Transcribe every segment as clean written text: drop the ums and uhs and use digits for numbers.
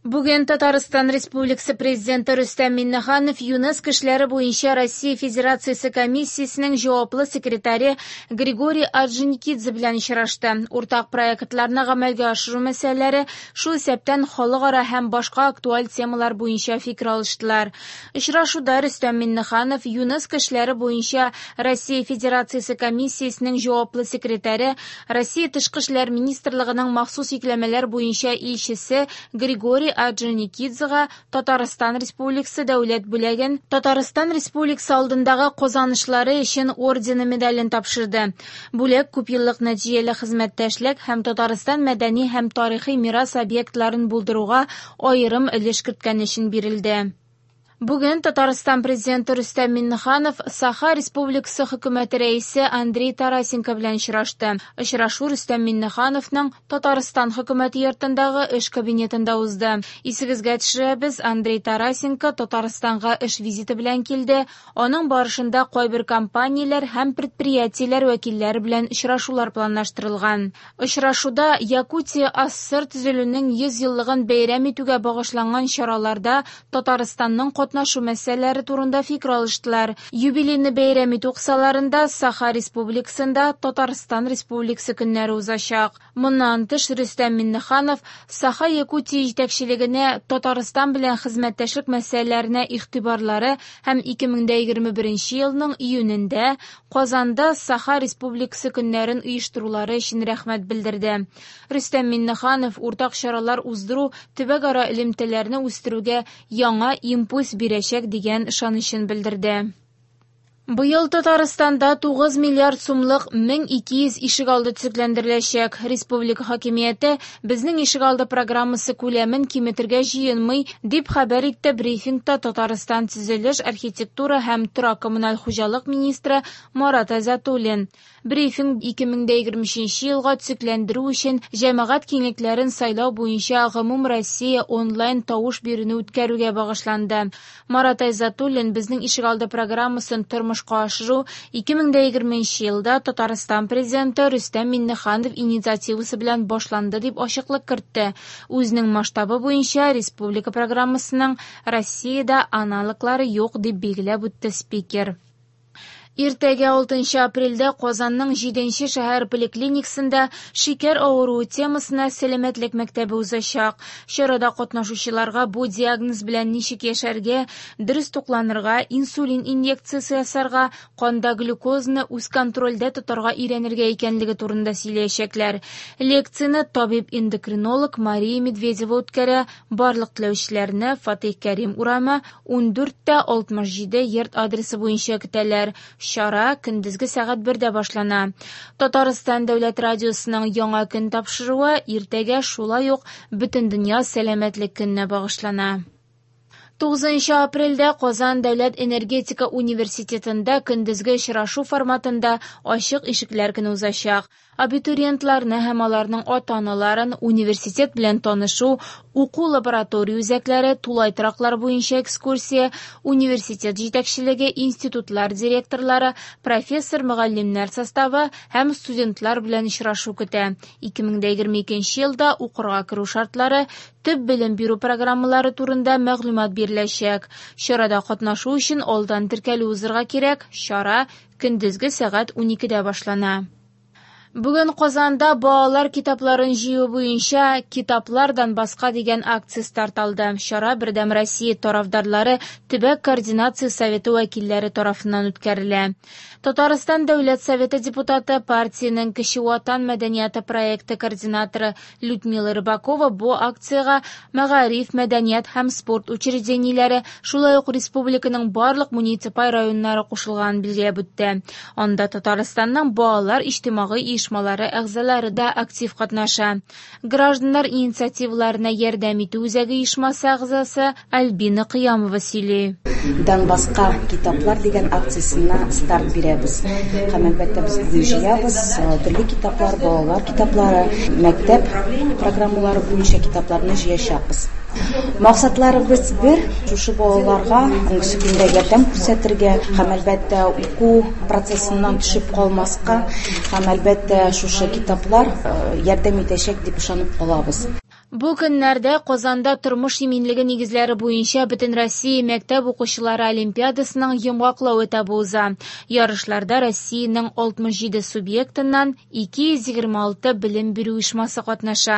Бүген Татарстан Республикасы Президенты Рөстәм Миңнеханов ЮНЕСКО эшләре буенча Россия Федерациясе комиссиясенең җаваплы секретаре Григорий Орджоникидзе белән очрашты. Уртак проектларны гамәлгә ашыру мәсьәләләре, шул исәптән халыкара һәм башка актуаль темалар буенча фикер алыштылар. Очрашуда Рөстәм Миңнеханов ЮНЕСКО эшләре буенча Россия Федерациясе комиссиясенең җаваплы секретаре, Россия Тышкы эшләр министрлыгының махсус йөкләмәләр буенча илчесе Григорий Орджоникидзега Татарстан Республикасы дәүләт бүләген Татарстан Республикасы алдындагы казанышлары өчен ордены медален тапшырды. Бүләк күпьеллык нәтиҗәле хезмәттәшлек һәм Татарстан мәдәни һәм тарихи мирас объектларын булдыруга аерым өлеш керткән өчен бирелде. Бүген Татарстан Президенты Рөстәм Миңнеханов Саха Республикасы Хөкүмәте рәисе Андрей Тарасенко белән очрашты. Очрашу Рөстәм Миңнехановның Татарстан Хөкүмәте йортындагы эш кабинетында узды. Исегезгә төшерәбез, Андрей Тарасенко Татарстанга эш визиты белән килде. Аның барышында кайбер компанияләр һәм предприятиеләр вәкилләре белән очрашулар планлаштырылган. Очрашуда Якутия АССР төзелүнең 100 еллыгын бәйрәм итүгә багышланган чараларда Татарстанның катнашу мәсьәләләре турында фикер алыштылар. Юбилейны бәйрәм итү кысаларында Саха Республикасында Татарстан Республикасы көннәре узачак. Моннан тыш Рөстәм Миңнеханов Саха Якутия җитәкчелегенә Татарстан белән хезмәттәшлек мәсьәләләренә игътибарлары һәм 2021 елның июнендә Казанда Саха Республикасы көннәрен оештырулары өчен рәхмәт белдерде. Рөстәм Миңнеханов уртак чаралар уздыру төбәкара элемтәләрне үстерүгә яңа импульс бирәчәк дигән ышанычын белдерде. Быел Татарстанда 9 миллиард сумлык 1200 ишегалды төзекләндереләчәк. Республика хакимияте безнең ишегалды программасы күләмен киметергә җыенмый, дип хәбәр итте брифингта Татарстан төзелеш, архитектура һәм торак-коммуналь хуҗалык министры Марат Айзатуллин. Брифинг 2023 елга төзекләндерү өчен җәмәгать киңлекләрен сайлау буенча гомум Россия онлайн тавыш бирүне үткәрүгә багышланды. Марат Айзатуллин безнең ишегалды программасын тормышка ашыру 2020 елда Татарстан президенты Рөстәм Миңнеханов инициативасы белән башланды дип ачыклык кертте. Үзенең масштабы буенча республика программасының Россиядә аналоглары юк дип билгеләп үтте спикер. Иртәгә 6 апрельдә Казанның 7 шәһәр поликлиникасында шикәр авыруы темасына сәламәтлек мәктәбе узачак. Чарада катнашучыларга бу диагноз белән ничек яшәргә, дөрес тукланырга, инсулин инъекциясе ясарга, канда глюкозаны үз контрольдә тотарга өйрәнергә икәнлеге турында сөйләячәкләр. Лекцияне табиб-эндокринолог Мария Медведева үткәрә. Барлык теләүчеләрне Фатих Кәрим урамы 14-67 йорт адресы буенча көтәләр. Чара көндезге сәгать 1-дә башлана. Татарстан дәүләт радиосының яңа көн тапшыруы иртәгә шулай ук Бөтендөнья сәламәтлек көненә багышлана. 9 апрельдә Казан дәүләт энергетика университетында көндезге очрашу форматында ачык ишекләр көне узачак. Абитуриентларны һәм аларның ата-аналарын университет белән танышу, уку лаборатория үзәкләре, тулай тораклар буенча экскурсия, университет җитәкчелеге, институтлар директорлары, профессор-мөгаллимнәр составы һәм студентлар белән очрашу көтә. 2022 елда укырга керү шартлары, төп белем бирү программалары турында мәгълүмат биреләчәк. Чарада катнашу өчен алдан теркәлү узырга кирәк. Чара көндезге сәгать 12-дә башлана. Бүген Казанда балалар китапларын җыю буенча Китаплар Донбасска дигән акция старт алды. Чара Бердәм Россия тарафдарлары төбәк координация советы вәкилләре тарафыннан үткәрелә. Татарстан Дәүләт Советы депутаты, партиянең Кече Ватан мәдәнияте проекты координаторы Людмила Рыбакова бу акциягә мәгариф, мәдәният һәм спорт учреждениеләре, шулай ук республиканың барлык муниципаль районнары кушылганын билгеләп үтте. Анда Татарстанның балалар иҗтимагый оешмалары әгъзалары да актив катнаша. Гражданнар инициативаларына ярдәм итү үзәге оешмасы әгъзасы Альбина Кыямова сөйли. Донбасска китаплар дигән акциясенә старт бирәбез. Һәм әлбәттә без бүген җыябыз төрле китаплар, балалар китаплары, мәктәп программалары буенча китапларны җыячакбыз. Максатларыбыз бер, шушы балаларга бүгенге көндә ярдәм күрсәтергә һәм әлбәттә уку процессыннан төшеп калмаска һәм әлбәттә шушы китаплар ярдәм итәчәк дип ышанып калабыз. Бу көннәрдә Казанда тормыш иминлеге нигезләре буенча Бөтенроссия мәктәп укучылары олимпиадасының йомгаклау этабы уза. Ярышларда Россиянең 67 субъектыннан 226 белем бирү оешмасы катнаша.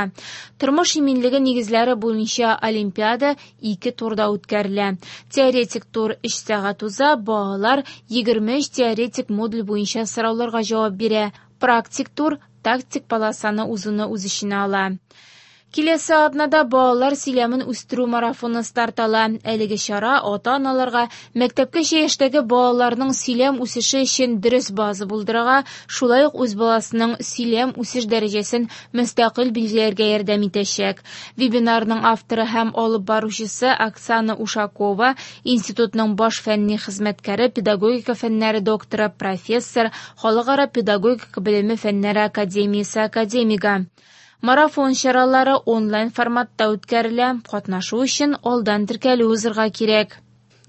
Тормыш иминлеге нигезләре буенча олимпиада ике турда үткәрелә. Теоретик тур 3 сәгать уза, балалар 23 теоретик модуль буенча сорауларга җавап бирә. Практик тур тактик полосаны узуны үз эченә ала. Киләсе атнада балалар сөйләмен үстерү марафоны старт ала. Әлеге чара ата-аналарга мәктәпкәчә яшьтәге балаларның сөйләм үсеше өчен дөрес база булдырырга, шулай ук үз баласының сөйләм үсеш дәрәҗәсен мөстәкыйль билгеләргә ярдәм итәчәк. Вебинарның авторы һәм алып баручысы Оксана Ушакова, институтның баш фәнни хезмәткәре, педагогика фәннәре докторы, профессор, Халыкара педагогика белеме фәннәре академиясе академигы. Марафон чаралары онлайн форматта үткәрелә. Катнашу өчен алдан теркәлү узырга кирәк.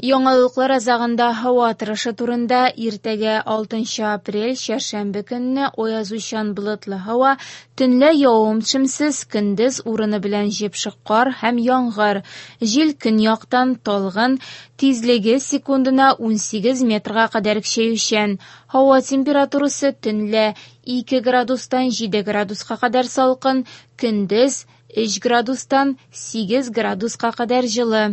Яңалыклар азагында һава торышы турында иртәгә 6 апрель чәршәмбе көнне аязучан болытлы һава, төнлә явым-төшемсез, көндез урыны белән җепшек кар һәм яңгыр. Җил көньяктан талгын, тизлеге секундына 18 метрга кадәр көчәючән. Һава температурасы төнлә 2 градустан 7 градуска кадәр салкын, көндез 3 градустан 8 градуска кадәр җылы.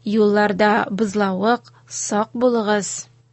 Юлларда бозлавык, сак булыгыз.